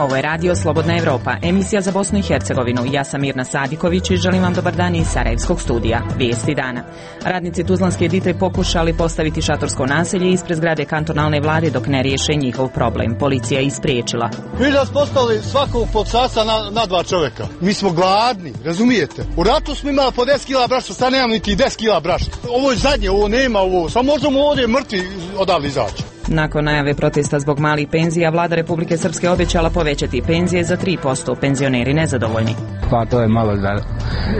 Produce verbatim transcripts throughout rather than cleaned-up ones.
Ovo je radio Slobodna Evropa, emisija za Bosnu i Hercegovinu. Ja sam Mirna Sadiković i želim vam dobar dan iz Sarajevskog studija. Vijesti dana. Radnici Tuzlanske Editre pokušali postaviti šatorsko naselje ispred zgrade kantonalne vlade dok ne riješe njihov problem. Policija je ispriječila. Mi da smo ostali svakog pod sasa na, na dva čovjeka. Mi smo gladni, razumijete? U ratu smo imali po deset kila brašta, sad nemam niti deset kila brašta. Ovo je zadnje, ovo nema ovo. Samo možemo ovdje mrtvi odavde izaći. Nakon najave protesta zbog malih penzija, vlada Republike Srpske obećala povećati penzije za tri posto. Penzioneri nezadovoljni. Pa to je malo da,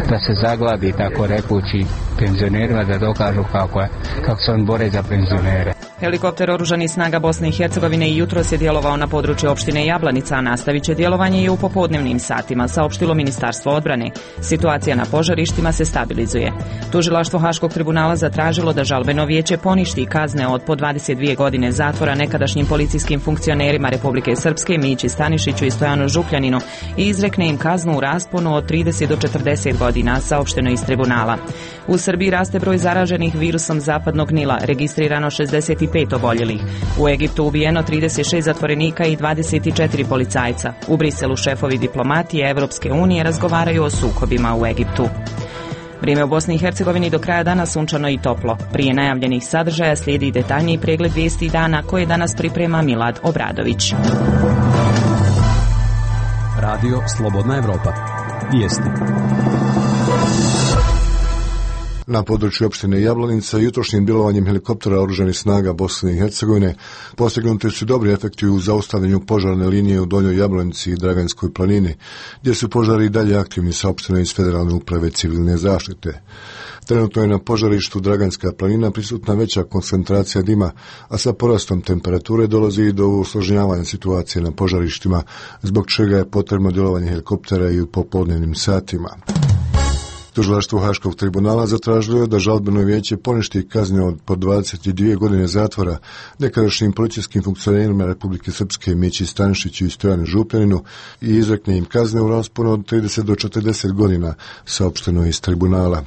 da se zagladi, tako rekući, penzionerima, da dokažu kako, je, kako se on bore za penzionere. Helikopter oružanih snaga Bosne i Hercegovine i jutros je djelovao na području opštine Jablanica, a nastavit će djelovanje i u popodnevnim satima, saopštilo Ministarstvo odbrane. Situacija na požarištima se stabilizuje. Tužilaštvo Haškog tribunala zatražilo da žalbeno vijeće poništi kazne od po dvadeset dvije godine zatvora nekadašnjim policijskim funkcionerima Republike Srpske Mići Stanišiću i Stojanu Župljaninu i izrekne im kaznu u rasponu od trideset do četrdeset godina, saopšteno iz tribunala. U Srbiji raste broj zaraženih virusom zapadnog Nila, registrirano šezdeset pet oboljelih. U Egiptu ubijeno trideset šest zatvorenika i dvadeset četiri policajca. U Briselu šefovi diplomatije Evropske unije razgovaraju o sukobima u Egiptu. Vrijeme u Bosni i Hercegovini do kraja dana sunčano i toplo. Prije najavljenih sadržaja slijedi detaljniji pregled vijesti dana koje danas priprema Milad Obradović. Radio Slobodna Evropa. Vijesti. Na području opštine Jablanica jutrošnjim djelovanjem helikoptera oružanih snaga Bosne i Hercegovine postignuti su dobri efekti u zaustavljanju požarne linije u Donjoj Jablanici i Draganskoj planini, gdje su požari i dalje aktivni, saopšteno iz Federalne uprave civilne zaštite. Trenutno je na požarištu Draganska planina prisutna veća koncentracija dima, a sa porastom temperature dolazi i do usložnjavanja situacije na požarištima, zbog čega je potrebno djelovanje helikoptera i u popodnevnim satima. Tužilaštvo Haškog tribunala zatražilo je da žalbeno vijeće poništi kazne od po dvadeset dvije godine zatvora nekadašnjim policijskim funkcionerima Republike Srpske Mići Stanišiću i Stojanu Župljaninu i izrekne im kazne u rasponu od trideset do četrdeset godina, saopšteno iz tribunala.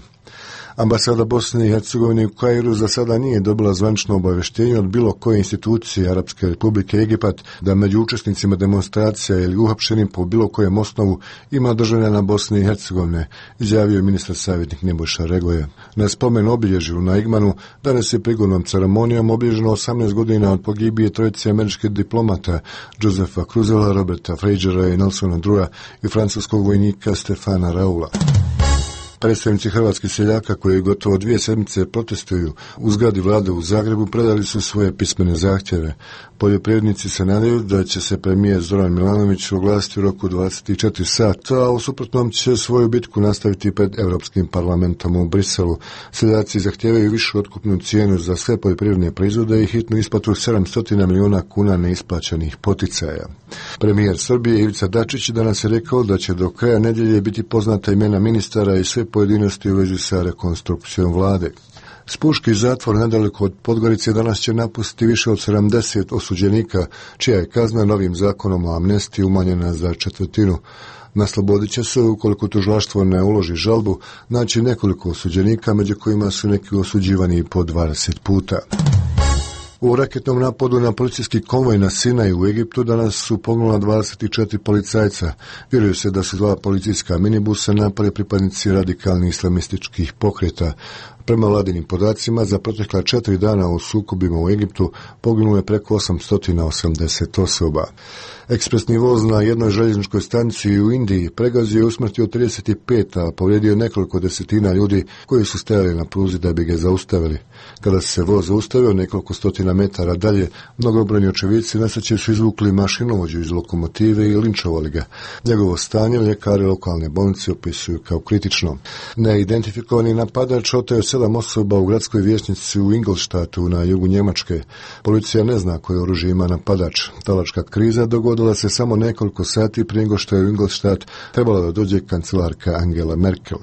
Ambasada Bosne i Hercegovine u Kairu za sada nije dobila zvanično obavještenje od bilo koje institucije Arapske Republike Egipat da među učesnicima demonstracija ili uhapšenim po bilo kojem osnovu ima državljana Bosne i Hercegovine, izjavio je ministar savjetnik Nebojša Regoje. Na spomen obilježju na Igmanu danas je prigodnom ceremonijom obilježeno osamnaest godina od pogibije trojice američkih diplomata Josefa Cruzela, Roberta Frejera i Nelsona Drua i francuskog vojnika Stefana Raula. Predstavnici hrvatskih seljaka koji gotovo dvije sedmice protestuju u zgradi vlade u Zagrebu predali su svoje pismene zahtjeve. Poljoprivrednici se nadaju da će se premijer Zoran Milanović oglasiti u roku dvadeset četiri sata, a u suprotnom će svoju bitku nastaviti pred Europskim parlamentom u Briselu. Seljaci zahtijevaju višu otkupnu cijenu za sve poljoprivredne proizvode i hitnu isplatu sedamsto milijuna kuna neisplaćenih poticaja. Premijer Srbije Ivica Dačić danas je rekao da će do kraja nedjelje biti poznata imena ministara i sve pojedinosti u vezi sa rekonstrukcijom vlade. Spuški zatvor nedaleko od Podgorice danas će napustiti više od sedamdeset osuđenika, čija je kazna novim zakonom o amnestiji umanjena za četvrtinu. Na slobodi će se, ukoliko tužilaštvo ne uloži žalbu, naći nekoliko osuđenika, među kojima su neki osuđivani po dvadeset puta. U raketnom napadu na policijski konvoj na Sinaju u Egiptu danas su poginula dvadeset četiri policajca. Vjeruje se da su dva policijska minibusa napali pripadnici radikalnih islamističkih pokreta. Prema vladinim podacima, za protekla četiri dana u sukobima u Egiptu poginulo je preko osamsto osamdeset osoba. Ekspresni voz na jednoj željezničkoj stanici u Indiji pregazio i usmrtio trideset pet, a povrijedio nekoliko desetina ljudi koji su stajali na pruzi da bi ga zaustavili. Kada se voz zaustavio nekoliko stotina metara dalje, mnogobrojni očevidci nesreće su izvukli mašinovođu iz lokomotive i linčovali ga. Njegovo stanje ljekari lokalne bolnice opisuju kao kritično. Neidentifikovani napadač oteo sedam osoba u gradskoj vijećnici u Ingolstadtu na jugu Njemačke. Policija ne zna koje oružje ima napadač. Talačka kriza dogodila se samo nekoliko sati prije nego što je u Ingolstadt trebala da dođe kancelarka Angela Merkel.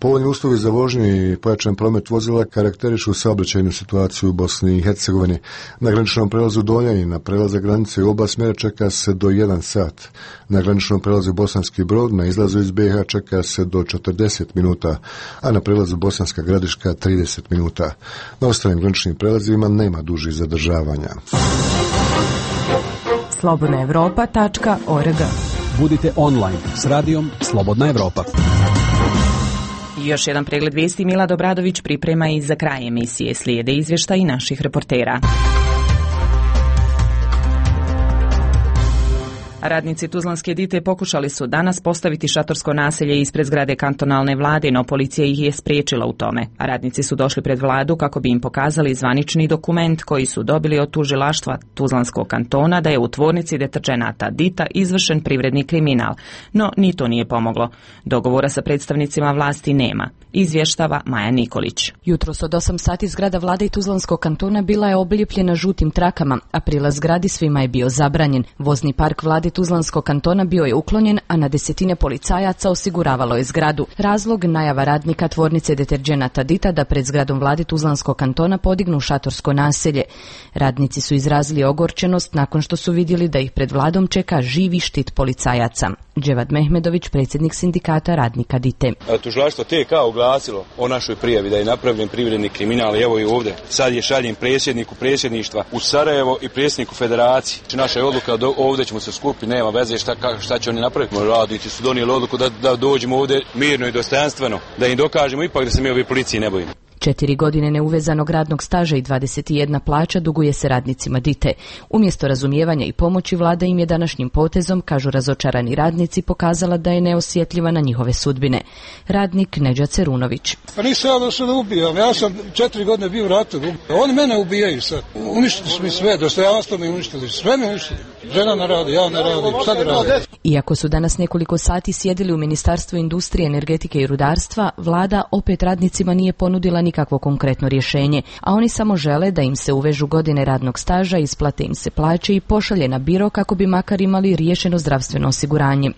Povoljni uslovi za vožnju i pojačan promet vozila karakterišu saobraćajnu situaciju u Bosni i Hercegovini. Na graničnom prelazu Doljani na prelaze granice u oba smjera čeka se do jedan sat. Na graničnom prelazu Bosanski Brod na izlazu iz be ha čeka se do četrdeset minuta, a na prelazu Bosanska Gradiška trideset minuta. Na ostalim graničnim prelazima nema dužih zadržavanja. slobodna evropa tačka org. Budite online s radijom Slobodna Evropa. Još jedan pregled vijesti Milad Obradović priprema i za kraj emisije. Slijede izvještaji naših reportera. Radnici Tuzlanske Dite pokušali su danas postaviti šatorsko naselje ispred zgrade kantonalne vlade, no policija ih je spriječila u tome. Radnici su došli pred vladu kako bi im pokazali zvanični dokument koji su dobili od tužilaštva Tuzlanskog kantona da je u tvornici deterdženata Dita izvršen privredni kriminal. No, ni to nije pomoglo. Dogovora sa predstavnicima vlasti nema. Izvještava Maja Nikolić. Jutros od osam sati zgrada vlade i Tuzlanskog kantona bila je oblijepljena žutim trakama, a prilaz zgradi svima je bio zabranjen. Vozni park vlade Tuzlanskog kantona bio je uklonjen, a na desetine policajaca osiguravalo je zgradu. Razlog najava radnika tvornice deterdženata Dita da pred zgradom vlade Tuzlanskog kantona podignu šatorsko naselje. Radnici su izrazili ogorčenost nakon što su vidjeli da ih pred vladom čeka živi štit policajaca. Dževad Mehmedović, predsjednik sindikata radnika Dite. Tužilaštvo T K oglasilo o našoj prijavi da je napravljen privredni kriminal i evo i ovdje. Sad je šaljem predsjedniku predsjedništva u Sarajevo i predsjedniku federacije. Naša je odluka da ovdje ćemo se skupiti, nema veze šta, šta će oni napraviti. Radnici su donijeli odluku da, da dođemo ovdje mirno i dostojanstveno, da im dokažemo ipak da se mi ovi policiji ne bojimo. Četiri godine neuvezanog radnog staža i dvadeset jedna plaća duguje se radnicima Dite. Umjesto razumijevanja i pomoći vlada im je današnjim potezom, kažu razočarani radnici, pokazala da je neosjetljiva na njihove sudbine. Radnik Neđa Cerunović. Pa nisam ja da se ne ubijam, ja sam četiri godine bio u ratu. Oni mene ubijaju sad. Uništili su mi sve, dostojanstvo mi uništili, sve mi uništili. Žena ne radi, ja ne radim, šta da radim? Iako su danas nekoliko sati sjedili u Ministarstvu industrije, energetike i rudarstva, vlada opet radnicima nije ponudila nikakvo konkretno rješenje, a oni samo žele da im se uvežu godine radnog staža, isplate im se plaće i pošalje na biro kako bi makar imali riješeno zdravstveno osiguranje.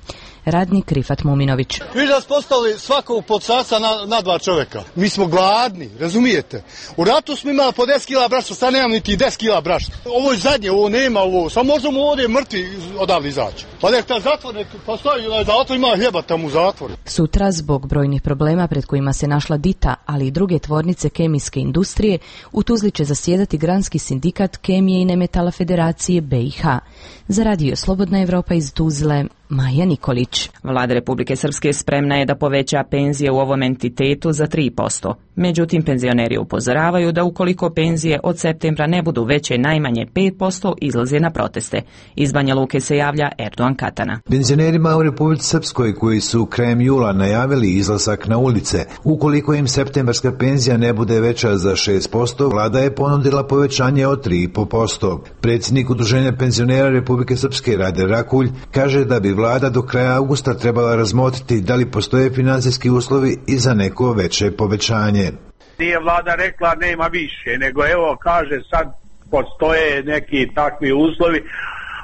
Radnik Rifat Muminović. Vi da smo postali svakog podsaca na, na dva čovjeka. Mi smo gladni, razumijete? U ratu smo imali po deset kila brašna, sad nemam niti deset kila brašna. Ovo je zadnje, ovo nema, ovo. Sad možemo ovdje mrtvi odavde izaći. Pa nek ta zatvor, nek postoji, zatvor ima hljeba tamo u zatvoru. Sutra, zbog brojnih problema pred kojima se našla Dita, ali i druge tvornice kemijske industrije, u Tuzli će zasjedati Granski sindikat kemije i nemetala Federacije B i H. Za radio Slobodna Evropa iz Tuzle, Maja Nikolić. Vlada Republike Srpske spremna je da poveća penzije u ovom entitetu za tri posto. Međutim, penzioneri upozoravaju da ukoliko penzije od septembra ne budu veće najmanje pet posto, izlaze na proteste. Iz Banja Luke se javlja Erdogan Katana. Penzionerima u Republici Srpskoj koji su krajem jula najavili izlazak na ulice, ukoliko im septembarska penzija ne bude veća za šest posto, vlada je ponudila povećanje od tri i po posto. Predsjednik Udruženja penzionera Republike Srpske Rade Rakulj kaže da bi vlada do kraja augusta trebala razmotriti da li postoje financijski uslovi i za neko veće povećanje. Nije vlada rekla nema više, nego evo kaže sad postoje neki takvi uslovi,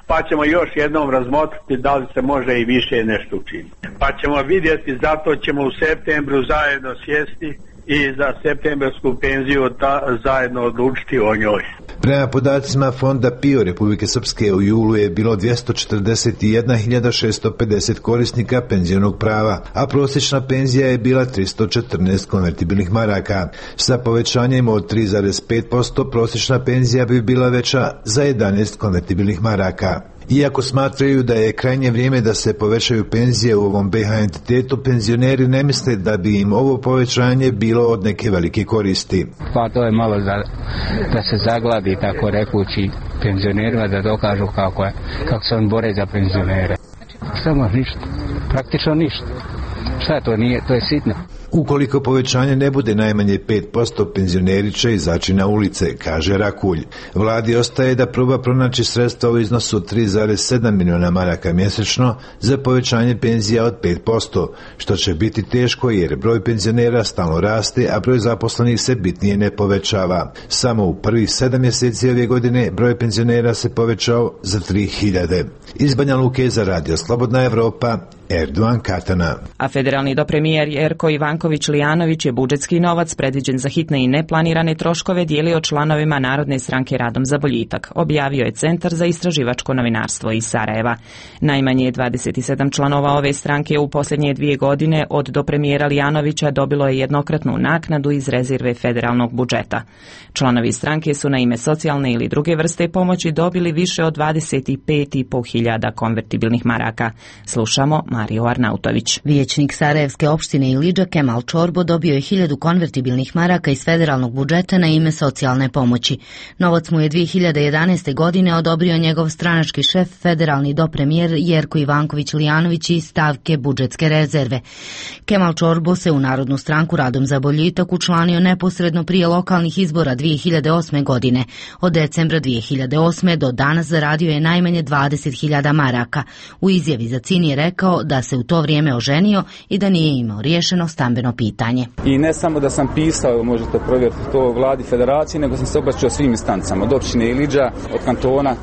pa ćemo još jednom razmotriti da li se može i više nešto učiniti. Pa ćemo vidjeti, zato ćemo u septembru zajedno sjesti i za septembarsku penziju ta, zajedno odlučiti o njoj. Prema podacima Fonda P I O Republike Srpske u julu je bilo dvjesto četrdeset jedna hiljada šesto pedeset korisnika penzionog prava, a prosječna penzija je bila tristo četrnaest konvertibilnih maraka. Sa povećanjem od tri zarez pet posto prosječna penzija bi bila veća za jedanaest konvertibilnih maraka. Iako smatraju da je krajnje vrijeme da se povećaju penzije u ovom B H entitetu, penzioneri ne misle da bi im ovo povećanje bilo od neke velike koristi. Pa to je malo za, da se zagladi, tako rekući, penzionerima da dokažu kako, je, kako se on bore za penzionere. Samo ništa, praktično ništa. Šta to nije, to je sitno. Ukoliko povećanje ne bude najmanje pet posto, penzioneri će izaći na ulice, kaže Rakulj. Vladi ostaje da proba pronaći sredstva u iznosu tri zarez sedam milijuna maraka mjesečno za povećanje penzija od pet posto, što će biti teško jer broj penzionera stalno raste, a broj zaposlenih se bitnije ne povećava. Samo u prvih sedam mjeseci ove godine broj penzionera se povećao za tri hiljade. Iz Banja Luke za radio Slobodna Evropa, Erdogan Katana. A federalni dopremijer Jerko Ivanković Lijanović je budžetski novac predviđen za hitne i neplanirane troškove dijelio članovima Narodne stranke Radom za boljitak, objavio je Centar za istraživačko novinarstvo iz Sarajeva. Najmanje dvadeset sedam članova ove stranke u posljednje dvije godine od dopremijera Lijanovića dobilo je jednokratnu naknadu iz rezerve federalnog budžeta. Članovi stranke su na ime socijalne ili druge vrste pomoći dobili više od dvadeset pet i po hiljada konvertibilnih maraka. Slušamo Mariju Arnautović. Vijećnik Sarajevske opštine Ilidža Kemal Čorbo dobio je hiljadu konvertibilnih maraka iz federalnog budžeta na ime socijalne pomoći. Novac mu je dvije hiljade jedanaeste. godine odobrio njegov stranački šef, federalni dopremijer Jerko Ivanković Lijanović iz stavke budžetske rezerve. Kemal Čorbo se u Narodnu stranku Radom za boljitak učlanio neposredno prije lokalnih izbora dvije hiljade osme. godine. Od decembra dvije hiljade osme. do danas zaradio je najmanje dvadeset hiljada maraka. U izjavi za C I N je rekao da se u to vrijeme oženio i da nije imao riješeno stambeno pitanje. I ne samo da sam pisao, možete provjeriti to vladi federacije, nego sam se obraćao svim instancama, od opštine Ilidža, od kantona,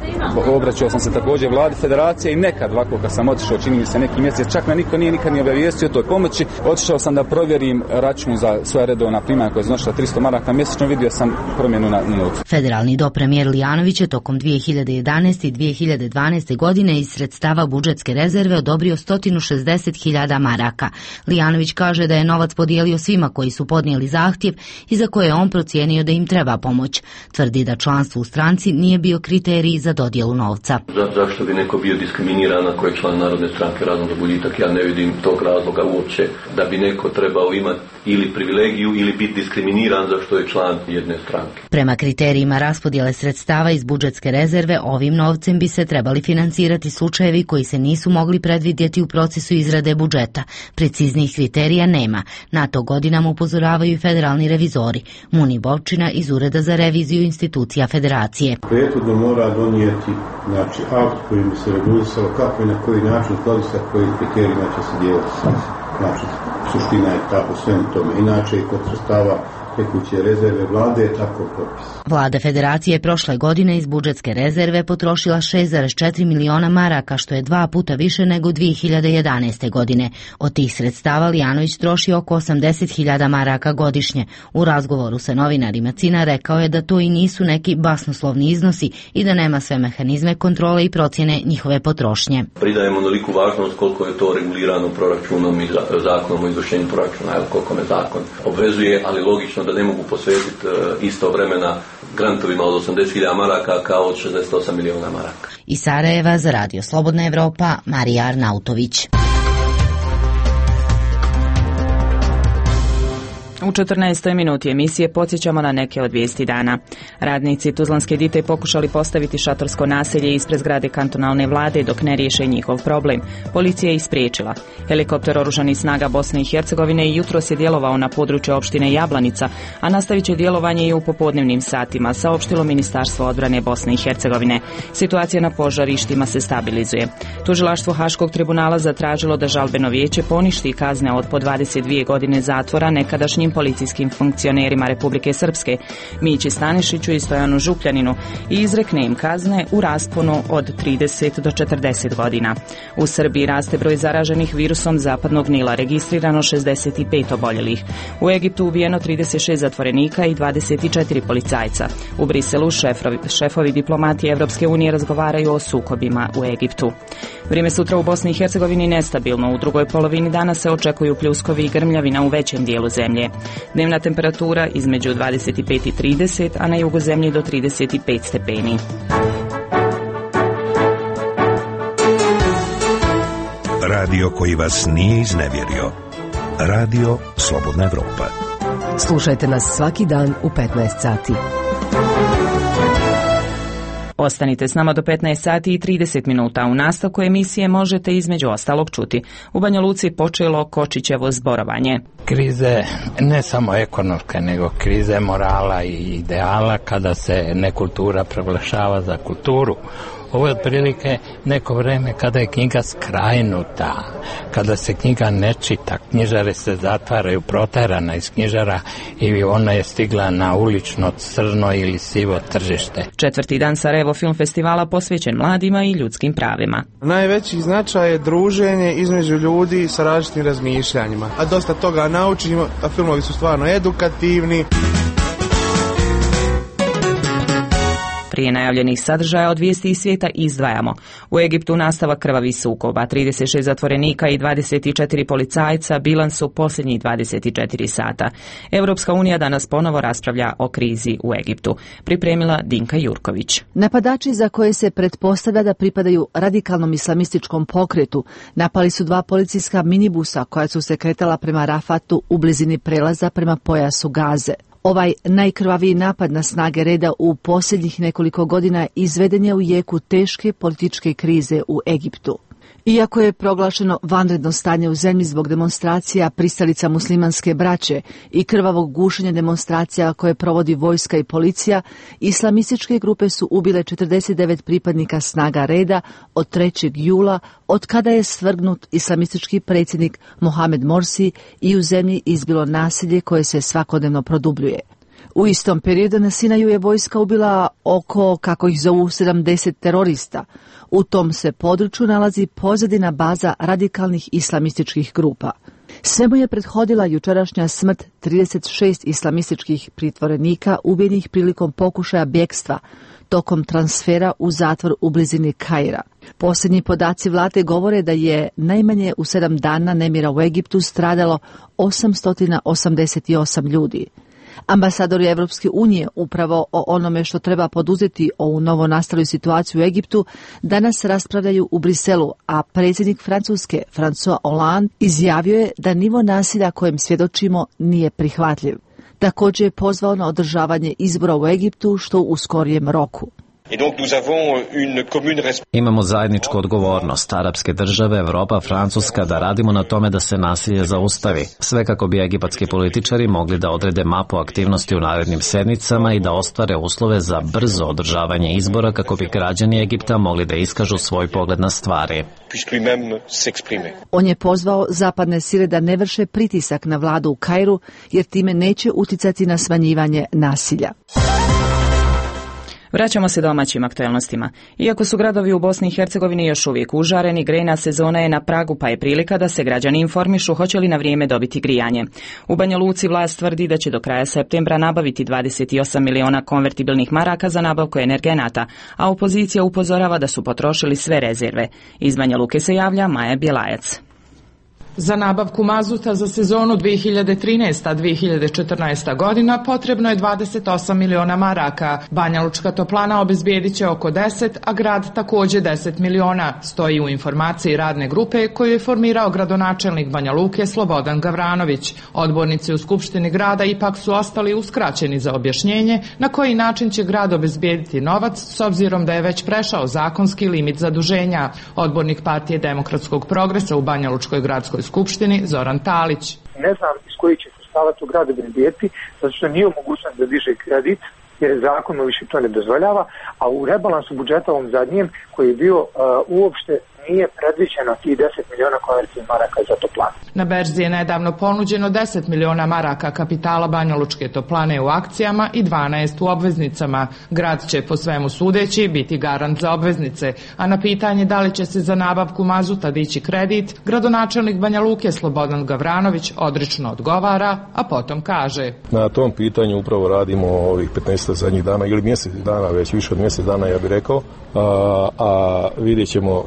obraćao sam se također vladi federacije i nekad ovako kad sam otišao, čini mi se neki mjesec, čak me niko nije nikad ni obavijestio o toj pomoći, otišao sam da provjerim račun za svoja redovna primanja koja je iznosila tristo maraka mjesečno, vidio sam promjenu na novcu. Federalni dopremijer Lijanović je tokom dvije hiljade jedanaeste. i dvije hiljade dvanaeste. godine iz sredstava budžetske rezerve odobrio sto šezdeset hiljada maraka. Lijanović kaže da je novac podijelio svima koji su podnijeli zahtjev i za koje je on procijenio da im treba pomoć. Tvrdi da članstvo u stranci nije bio kriterij za dodjelu novca. Za, zašto bi neko bio diskriminiran ako je član Narodne stranke Radom za boljitak? Ja ne vidim tog razloga uopće da bi neko trebao imati ili privilegiju ili biti diskriminiran zašto je član jedne stranke. Prema kriterijima raspodjele sredstava iz budžetske rezerve, ovim novcem bi se trebali financirati slučajevi koji se nisu mogli predvidjeti u procesu izrade budžeta. Preciznijih kriterija nema. Na to godinama upozoravaju i federalni revizori. Muni Bovčina iz Ureda za reviziju institucija federacije. Prethodno mora donijeti znači, akt kojim bi se regulisalo kako i na koji način, skladu sa kojim kriterijima će se dijeliti. Znači, suština je tako svem tome. Inače, kod sredstava tekuće rezerve vlade je tako propis. Vlada federacije prošle godine iz budžetske rezerve potrošila šest zarez četiri miliona maraka, što je dva puta više nego dvije hiljade jedanaeste. godine. Od tih sredstava Lijanović troši oko osamdeset hiljada maraka godišnje. U razgovoru sa novinarima C I N-a rekao je da to i nisu neki basnoslovni iznosi i da nema sve mehanizme kontrole i procjene njihove potrošnje. Pridajemo onoliku važnost koliko je to regulirano proračunom i zakonom o izvršenju proračuna, evo koliko me zakon obvezuje, ali logično da ne mogu posvetiti isto vremena grantovima od osamdeset hiljada maraka kao od šezdeset osam miliona maraka. Iz Sarajeva za Radio Slobodna Evropa, Marija Arnautović. U četrnaestoj minuti emisije podsjećamo na neke od vijesti dana. Radnici Tuzlanske Dite pokušali postaviti šatorsko naselje ispred zgrade kantonalne vlade dok ne riješe njihov problem. Policija je ispriječila. Helikopter oružanih snaga Bosne i Hercegovine jutros je djelovao na području opštine Jablanica, a nastavit će djelovanje i u popodnevnim satima, saopštilo Ministarstvo odbrane Bosne i Hercegovine. Situacija na požarištima se stabilizuje. Tužilaštvo Haškog tribunala zatražilo da žalbeno vijeće poništi kazne od po dvadeset dvije godine zatvora nekadašnjim policijskim funkcionerima Republike Srpske, Mići Stanišiću i Stojanu Župljaninu, i izrekne im kazne u rasponu od trideset do četrdeset godina. U Srbiji raste broj zaraženih virusom zapadnog Nila, registrirano šezdeset pet oboljelih. U Egiptu ubijeno trideset šest zatvorenika i dvadeset četiri policajca. U Briselu šefovi, šefovi diplomatije Evropske unije razgovaraju o sukobima u Egiptu. Vrijeme sutra u Bosni i Hercegovini nestabilno. U drugoj polovini dana se očekuju pljuskovi i grmljavina u većem dijelu zemlje. Dnevna temperatura između dvadeset pet i trideset, a na jugu zemlje do trideset pet stepeni. Radio koji vas nije iznevjerio. Radio Slobodna Evropa. Slušajte nas svaki dan u petnaest sati. Ostanite s nama do petnaest sati i trideset minuta. U nastavku emisije možete između ostalog čuti. U Banja Luci počelo Kočićevo zborovanje. Krize ne samo ekonomske, nego krize morala i ideala kada se nekultura proglašava za kulturu. Ovo je otprilike neko vreme kada je knjiga skrajnuta, kada se knjiga ne čita, knjižare se zatvaraju, proterana iz knjižara i ona je stigla na ulično crno ili sivo tržište. Četvrti dan Sarajevo Film Festivala posvećen mladima i ljudskim pravima. Najveći značaj je druženje između ljudi sa različitim razmišljanjima. A dosta toga naučimo, a filmovi su stvarno edukativni. Prije najavljenih sadržaja od vijesti iz svijeta izdvajamo. U Egiptu nastavak krvavih sukoba, trideset šest zatvorenika i dvadeset četiri policajca bilans su posljednjih dvadeset četiri sata. Europska unija danas ponovo raspravlja o krizi u Egiptu. Pripremila Dinka Jurković. Napadači za koje se pretpostavlja da pripadaju radikalnom islamističkom pokretu napali su dva policijska minibusa koja su se kretala prema Rafatu u blizini prelaza prema pojasu Gaze. Ovaj najkrvaviji napad na snage reda u posljednjih nekoliko godina izveden je u jeku teške političke krize u Egiptu. Iako je proglašeno vanredno stanje u zemlji zbog demonstracija pristalica muslimanske braće i krvavog gušenja demonstracija koje provodi vojska i policija, islamističke grupe su ubile četrdeset devet pripadnika snaga reda od trećeg jula, od kada je svrgnut islamistički predsjednik Mohamed Morsi i u zemlji izbilo nasilje koje se svakodnevno produbljuje. U istom periodu na Sinaju je vojska ubila oko, kako ih zovu, sedamdeset terorista. U tom se području nalazi pozadina baza radikalnih islamističkih grupa. Svemu je prethodila jučerašnja smrt trideset šest islamističkih pritvorenika ubijenih prilikom pokušaja bjegstva tokom transfera u zatvor u blizini Kaira. Posljednji podaci vlade govore da je najmanje u sedam dana nemira u Egiptu stradalo osamsto osamdeset osam ljudi. Ambasadori Evropske unije upravo o onome što treba poduzeti ovu novo nastalu situaciju u Egiptu danas raspravljaju u Briselu, a predsjednik Francuske François Hollande izjavio je da nivo nasilja kojem svjedočimo nije prihvatljiv. Također je pozvao na održavanje izbora u Egiptu što u skorijem roku. Imamo zajedničku odgovornost, arapske države, Evropa, Francuska, da radimo na tome da se nasilje zaustavi. Sve kako bi egipatski političari mogli da odrede mapu aktivnosti u narednim sedmicama i da ostvare uslove za brzo održavanje izbora kako bi građani Egipta mogli da iskažu svoj pogled na stvari. On je pozvao zapadne sile da ne vrše pritisak na vladu u Kairu, jer time neće uticati na smanjivanje nasilja. Vraćamo se domaćim aktualnostima. Iako su gradovi u Bosni i Hercegovini još uvijek užareni, grejna sezona je na pragu, pa je prilika da se građani informišu hoće li na vrijeme dobiti grijanje. U Banja Luci vlast tvrdi da će do kraja septembra nabaviti dvadeset osam miliona konvertibilnih maraka za nabavku energenata, a opozicija upozorava da su potrošili sve rezerve. Iz Banja Luke se javlja Maja Bjelajac. Za nabavku mazuta za sezonu dvije hiljade trinaesta dvije hiljade četrnaesta godina potrebno je dvadeset osam miliona maraka. Banja Lučka toplana obezbijedit će oko deset, a grad također deset miliona, stoji u informaciji radne grupe koju je formirao gradonačelnik Banja Luke Slobodan Gavranović. Odbornici u Skupštini grada ipak su ostali uskraćeni za objašnjenje na koji način će grad obezbijediti novac s obzirom da je već prešao zakonski limit zaduženja. Odbornik Partije demokratskog progresa u Banja Lučkoj gradskoj skupštini Zoran Talić. Ne znam iz koji će sredstava to grad obezbijediti, zato što nije u mogućnosti da diže kredit, jer zakon mu više to ne dozvoljava, a u rebalansu budžeta ovom zadnjem koji je bio uh, uopšte nije predviđeno tih deset miliona konvertibilnih maraka za toplanu. Na berzi je nedavno ponuđeno deset miliona maraka kapitala Banja Lučke toplane u akcijama i dvanaest u obveznicama. Grad će po svemu sudeći biti garant za obveznice, a na pitanje da li će se za nabavku mazuta dići kredit, gradonačelnik Banja Luke Slobodan Gavranović odrično odgovara, a potom kaže: Na tom pitanju upravo radimo ovih petnaest zadnjih dana ili mjesec dana, već više od mjesec dana ja bih rekao, a, a vidjet ćemo,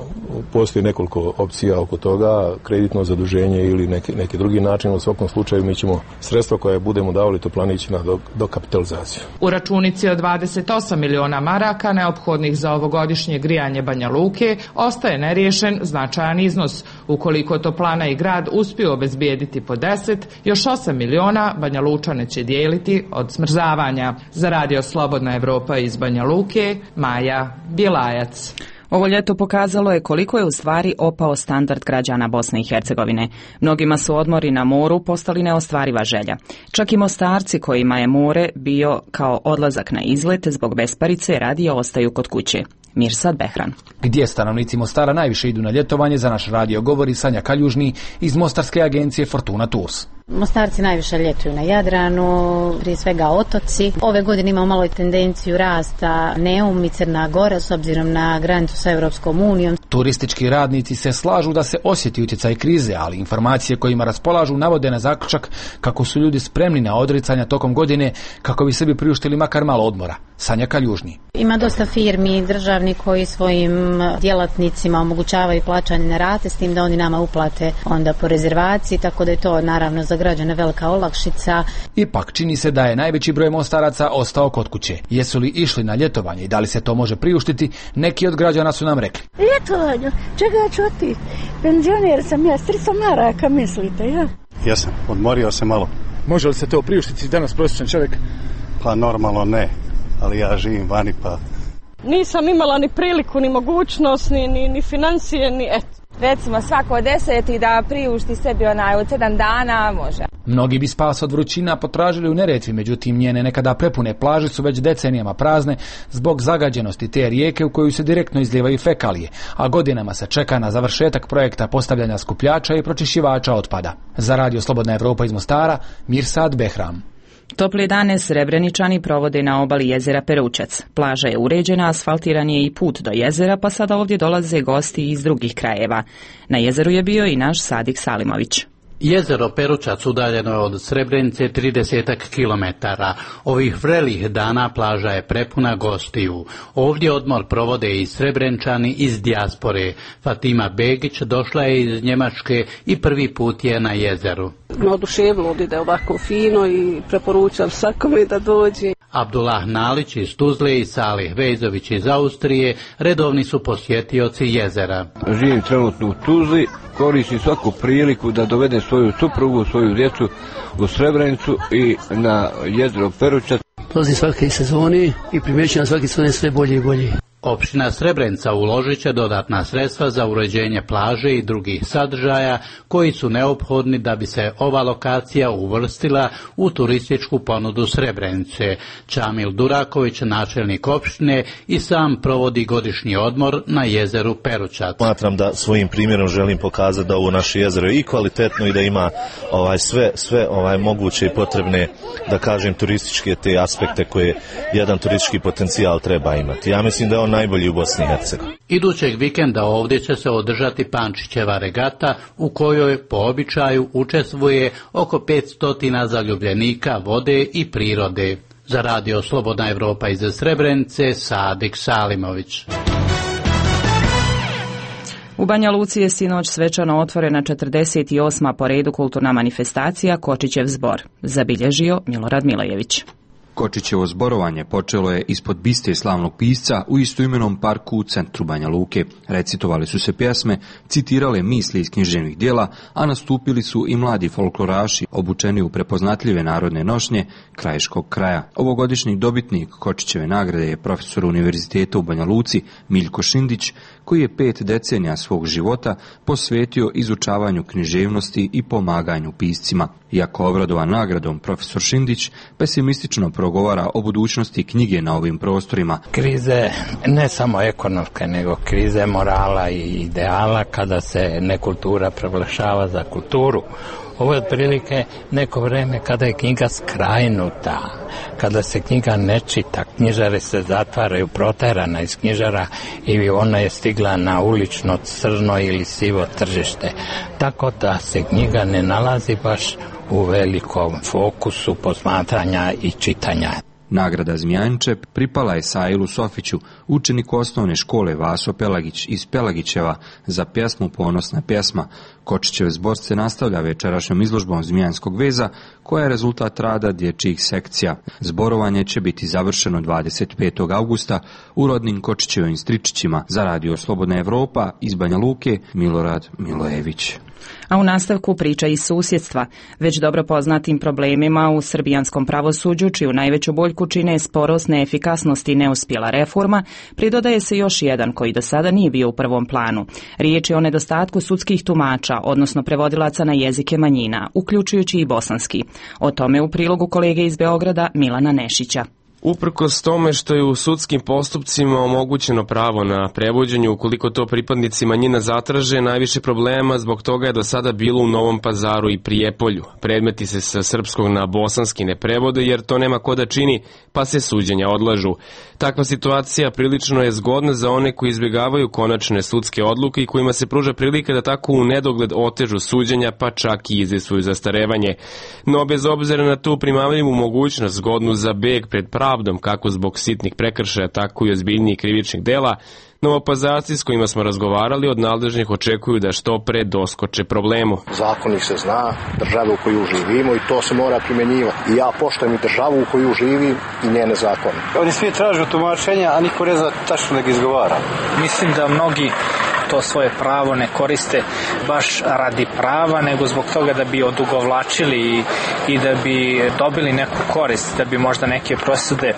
postoji nekoliko opcija oko toga, kreditno zaduženje ili neki, neki drugi način. U svakom slučaju mi ćemo sredstva koje budemo davali toplanići na dokapitalizaciju. U računici od dvadeset osam miliona maraka neophodnih za ovogodišnje grijanje Banja Luke ostaje neriješen značajan iznos. Ukoliko toplana i grad uspiju obezbijediti po deset, još osam miliona Banja Lučane će dijeliti od smrzavanja. Za Radio Slobodna Evropa iz Banja Luke, Maja Bjelajac. Ovo ljeto pokazalo je koliko je u stvari opao standard građana Bosne i Hercegovine. Mnogima su odmori na moru postali neostvariva želja. Čak i Mostarci kojima je more bio kao odlazak na izlet zbog besparice radije ostaju kod kuće. Mirsad Behran. Gdje stanovnici Mostara najviše idu na ljetovanje, za naš radio govori Sanja Kaljužni iz mostarske agencije Fortuna Tours. Mostarci najviše ljetuju na Jadranu, prije svega otoci. Ove godine imamo malo tendenciju rasta Neum i Crna Gora s obzirom na granicu sa Europskom unijom. Turistički radnici se slažu da se osjeti utjecaj krize, ali informacije kojima raspolažu navode na zaključak kako su ljudi spremni na odricanja tokom godine kako bi sebi priuštili makar malo odmora. Sanja Kaljužni. Ima dosta firmi državni koji svojim djelatnicima omogućavaju plaćanje na rate, s tim da oni nama uplate onda po rezervaciji, tako da je to naravno za građane velika olakšica. Ipak čini se da je najveći broj Mostaraca ostao kod kuće. Jesu li išli na ljetovanje i da li se to može priuštiti, neki od građana su nam rekli. Ljetovanje? Čega ću otići? Penzioner sam ja, s tristo maraka mislite, ja? Jesam, odmorio se malo. Može li se to priuštiti danas prosječan čovjek? Pa normalno ne, ali ja živim vani pa... Nisam imala ni priliku, ni mogućnost, ni, ni, ni financije, ni eto. Recimo svako deseti da priušti sebi onaj od sedam dana može. Mnogi bi spas od vrućina potražili u Neretvi, međutim njene nekada prepune plaže su već decenijama prazne zbog zagađenosti te rijeke u koju se direktno izlijevaju fekalije, a godinama se čeka na završetak projekta postavljanja skupljača i pročišćivača otpada. Za radio Slobodna Evropa iz Mostara, Mirsad Behram. Topli dane Srebreničani provode na obali jezera Peručac. Plaža je uređena, asfaltiran je i put do jezera, pa sada ovdje dolaze gosti iz drugih krajeva. Na jezeru je bio i naš Sadik Salimović. Jezero Peručac udaljeno je od Srebrenice tridesetak kilometara. Ovih vrelih dana plaža je prepuna gostiju. Ovdje odmor provode i Srebrenčani iz dijaspore. Fatima Begić došla je iz Njemačke i prvi put je na jezeru. Oduševilo da je ovako fino i preporučam svakome da dođe. Abdullah Nalić iz Tuzle i Salih Vejzović iz Austrije redovni su posjetioci jezera. Živim trenutno u Tuzli, koristim svaku priliku da dovedem svoju suprugu, svoju djecu u Srebrenicu i na jezero Peručac. Dolazim svake sezoni i primjećujem svake sezone sve bolje i bolje. Opština Srebrenica uložit će dodatna sredstva za uređenje plaže i drugih sadržaja koji su neophodni da bi se ova lokacija uvrstila u turističku ponudu Srebrenice. Čamil Duraković, načelnik opštine, i sam provodi godišnji odmor na jezeru Peručac. Smatram da svojim primjerom želim pokazati da ovo naše jezero je i kvalitetno i da ima ovaj sve sve ovaj moguće i potrebne, da kažem, turističke te aspekte koje jedan turistički potencijal treba imati. Ja mislim da je on najbolji u Bosni i Hercegovini. Idućeg vikenda ovdje će se održati Pančićeva regata u kojoj po običaju učestvuje oko petsto zaljubljenika vode i prirode. Za radio Slobodna Evropa iz Srebrenice, Sadik Salimović. U Banja Luci je sinoć svečano otvorena četrdeset osma po redu kulturna manifestacija Kočićev zbor. Zabilježio Milorad Milajević. Kočićevo zborovanje počelo je ispod biste slavnog pisca u istoimenom parku u centru Banja Luke. Recitovali su se pjesme, citirale misli iz književnih dijela, a nastupili su i mladi folkloraši obučeni u prepoznatljive narodne nošnje krajiškog kraja. Ovogodišnji dobitnik Kočićeve nagrade je profesor univerziteta u Banja Luci Miljko Šindić, koji je pet decenija svog života posvetio izučavanju književnosti i pomaganju piscima. Iako obradovan nagradom, profesor Šindić pesimistično progovara o budućnosti knjige na ovim prostorima. Krize ne samo ekonomske, nego krize morala i ideala kada se nekultura proglašava za kulturu. Ovo je otprilike neko vreme kada je knjiga skrajnuta, kada se knjiga ne čita, knjižare se zatvaraju, proterana iz knjižara i ona je stigla na ulično crno ili sivo tržište. Tako da se knjiga ne nalazi baš u velikom fokusu posmatranja i čitanja. Nagrada Zmijanče pripala je Sailu Sofiću, učeniku osnovne škole Vaso Pelagić iz Pelagićeva, za pjesmu Ponosna pjesma. Kočićev zbor se nastavlja večerašnjom izložbom Zmijanskog veza, koja je rezultat rada dječjih sekcija. Zborovanje će biti završeno dvadeset petog augusta u rodnim Kočićevim Stričićima. Za radio Slobodna Evropa iz Banja Luke, Milorad Milojević. A u nastavku priča iz susjedstva, već dobro poznatim problemima u srbijanskom pravosuđu, čiju najveću boljku čine sporost, neefikasnost i neuspjela reforma, pridodaje se još jedan koji do sada nije bio u prvom planu. Riječ je o nedostatku sudskih tumača, odnosno prevodilaca na jezike manjina, uključujući i bosanski. O tome u prilogu kolege iz Beograda Milana Nešića. Uprkos tome što je u sudskim postupcima omogućeno pravo na prevođenje, ukoliko to pripadnici manjina zatraže, najviše problema zbog toga je do sada bilo u Novom Pazaru i Prijepolju. Predmeti se sa srpskog na bosanski ne prevode jer to nema ko da čini, pa se suđenja odlažu. Takva situacija prilično je zgodna za one koji izbjegavaju konačne sudske odluke i kojima se pruža prilika da tako u nedogled otežu suđenja, pa čak i izisuju zastarevanje. No bez obzira na tu primamljivu mogućnost zgodnu za beg pred pravdom, kako zbog sitnih prekršaja, tako i ozbiljnijih krivičnih dela, Novopazarci s kojima smo razgovarali od nadležnih očekuju da što pre doskoče problemu. Zakon ih se zna, država u koju živimo i to se mora primjenjivati. I ja poštujem i državu u koju živim i njene zakone. Oni svi tražu tumačenja, a niko ne zna tačno da ga izgovara. Mislim da mnogi to svoje pravo ne koriste baš radi prava, nego zbog toga da bi odugovlačili i, i da bi dobili neku korist, da bi možda neke presude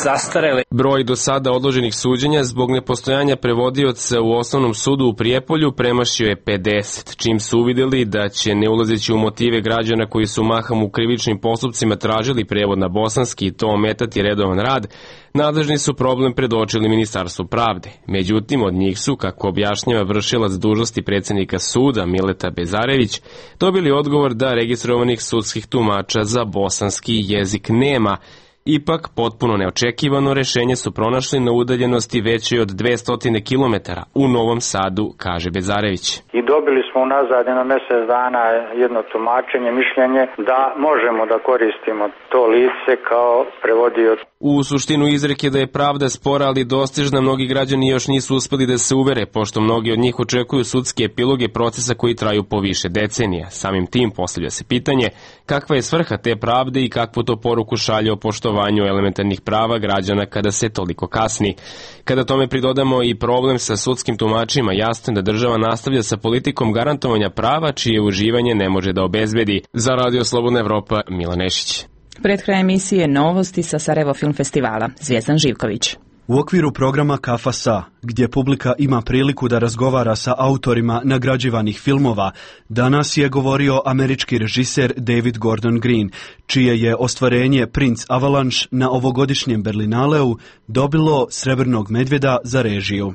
zastarele. Broj do sada odloženih suđenja zbog nepostojanja prevodioca u osnovnom sudu u Prijepolju premašio je pedeset, čim su uvidjeli da će, ne ulazeći u motive građana koji su mahom u krivičnim postupcima tražili prevod na bosanski i to ometati redovan rad, nadležni su problem predočili Ministarstvu pravde. Međutim, od njih su, kako objašnjava vršilac dužnosti predsjednika suda Mileta Bezarević, dobili odgovor da registrovanih sudskih tumača za bosanski jezik nema. Ipak, potpuno neočekivano rešenje su pronašli na udaljenosti većoj od dvesta kilometara u Novom Sadu, kaže Bezarević. I dobili smo unazad na mjesec dana jedno tumačenje, mišljenje da možemo da koristimo to lice kao prevodioc. U suštinu izreke da je pravda spora, ali dostižna, mnogi građani još nisu uspeli da se uvere, pošto mnogi od njih očekuju sudske epiloge procesa koji traju po više decenija. Samim tim postavlja se pitanje kakva je svrha te pravde i kakvu to poruku šalje o poštovanju elementarnih prava građana kada se toliko kasni. Kada tome pridodamo i problem sa sudskim tumačima, jasno je da država nastavlja sa politikom garantovanja prava čije uživanje ne može da obezbedi. Za Radio Slobodna Evropa, Milan Nešić. Pred kraj emisije novosti sa Sarajevo Film Festivala. Zvijezdan Živković. U okviru programa Kafa Sa, gdje publika ima priliku da razgovara sa autorima nagrađivanih filmova, danas je govorio američki režiser David Gordon Green, čije je ostvarenje Prince Avalanche na ovogodišnjem Berlinaleu dobilo Srebrnog medvjeda za režiju.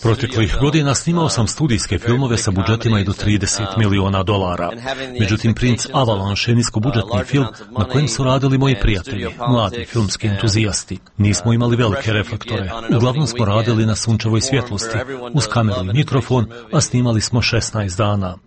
Proteklih godina snimao sam studijske filmove sa budžetima i do trideset miliona dolara. Međutim, Prince Avalanche je niskobudžetni film na kojem su radili moji prijatelji, mladi filmski entuzijasti. Nismo imali velike reflektore. Uglavnom smo radili na sunčevoj svjetlosti, uz kameru i mikrofon, a snimali smo šesnaest dana.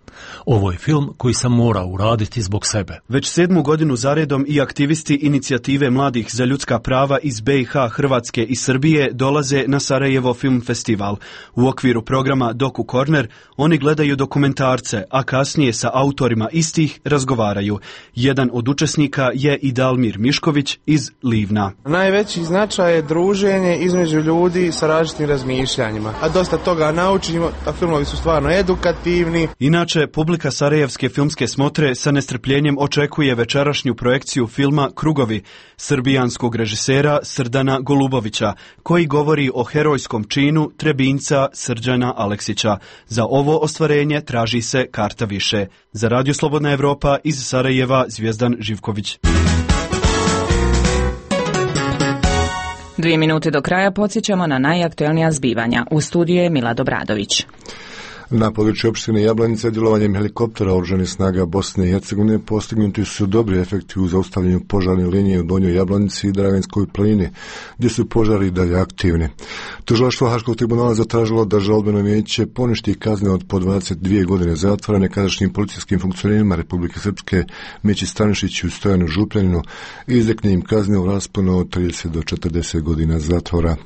Ovo je film koji sam morao uraditi zbog sebe. Već sedmu godinu zaredom i aktivisti inicijative mladih za ljudska prava iz B i H, Hrvatske i Srbije dolaze na Sarajevo Film Festival. U okviru programa Doku Corner oni gledaju dokumentarce, a kasnije sa autorima istih razgovaraju. Jedan od učesnika je i Dalmir Mišković iz Livna. Najveći značaj je druženje između ljudi sa različitim razmišljanjima, a dosta toga naučimo, a filmovi su stvarno edukativni. Inače, publika Sarajevske filmske smotre sa nestrpljenjem očekuje večerašnju projekciju filma Krugovi srbijanskog režisera Srdana Golubovića, koji govori o herojskom činu Trebinjca Srđana Aleksića. Za ovo ostvarenje traži se karta više. Za Radio Slobodna Evropa iz Sarajeva, Zvijezdan Živković. Dvije minute do kraja podsjećamo na najaktuelnija zbivanja. U studiju je Milad Obradović. Na području opštine Jablanica djelovanjem helikoptera oružanih snaga Bosne i Hercegovine postignuti su dobri efekti u zaustavljanju požarne linije u Donjoj Jablanici i Draganskoj planini, gdje su požari dalje aktivni. Tužilaštvo Haškog tribunala zatražilo da žalbeno vijeće poništi kazne od po dvadeset dvije godine zatvora nekadašnjim policijskim funkcionerima Republike Srpske Meći Stanišiću i Stojanu Župljaninu i izrekne im kazne u rasponu od trideset do četrdeset godina zatvora.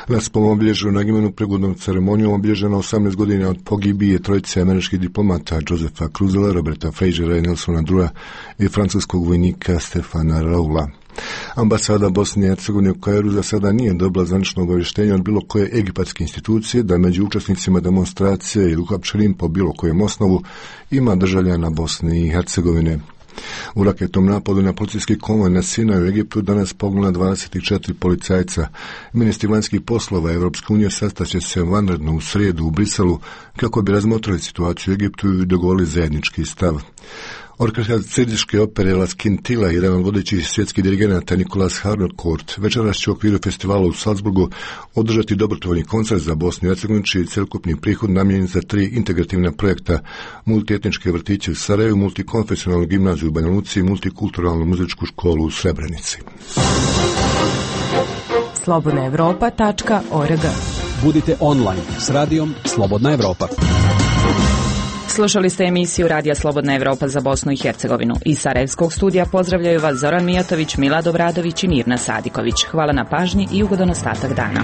Na spolnom obilježju na Gimenu prigodnom ceremonijom obilježeno osamnaest godina od pogibije bije trojice američkih diplomata Josefa Cruzela, Roberta Frasera i Nelsona Drua i francuskog vojnika Stefana Raula. Ambasada Bosne i Hercegovine u Kairu za sada nije dobila zvanično obavještenje od bilo koje egipatske institucije da među učesnicima demonstracije i uhapšenim po bilo kojem osnovu ima državljana Bosne i Hercegovine. U raketnom napadu na policijski konvoj na Sinaju u Egiptu danas pogina dvadeset četiri policajca. Ministri vanjskih poslova Evropske unije sastaće se vanredno u srijedu u Briselu kako bi razmotrili situaciju u Egiptu i dogovorili zajednički stav. Orkestar Cirdiške opere La Scintilla, jedan od vodećih svjetskih dirigenata Nicolas Harnoncourt, večeras će u okviru festivala u Salzburgu održati dobrotvorni koncert za Bosnu i Hercegovinu, čiji celokupni prihod namijenjen za tri integrativna projekta: multietničke vrtiće u Sarajevu, multikonfesionalnu gimnaziju u Banja Luci i multikulturalnu muzičku školu u Srebrenici. slobodna evropa tačka org. Budite online s radijom Slobodna Evropa. Slušali ste emisiju Radija Slobodna Evropa za Bosnu i Hercegovinu. Iz Sarajevskog studija pozdravljaju vas Zoran Mijatović, Milad Obradović i Mirna Sadiković. Hvala na pažnji i ugodan ostatak dana.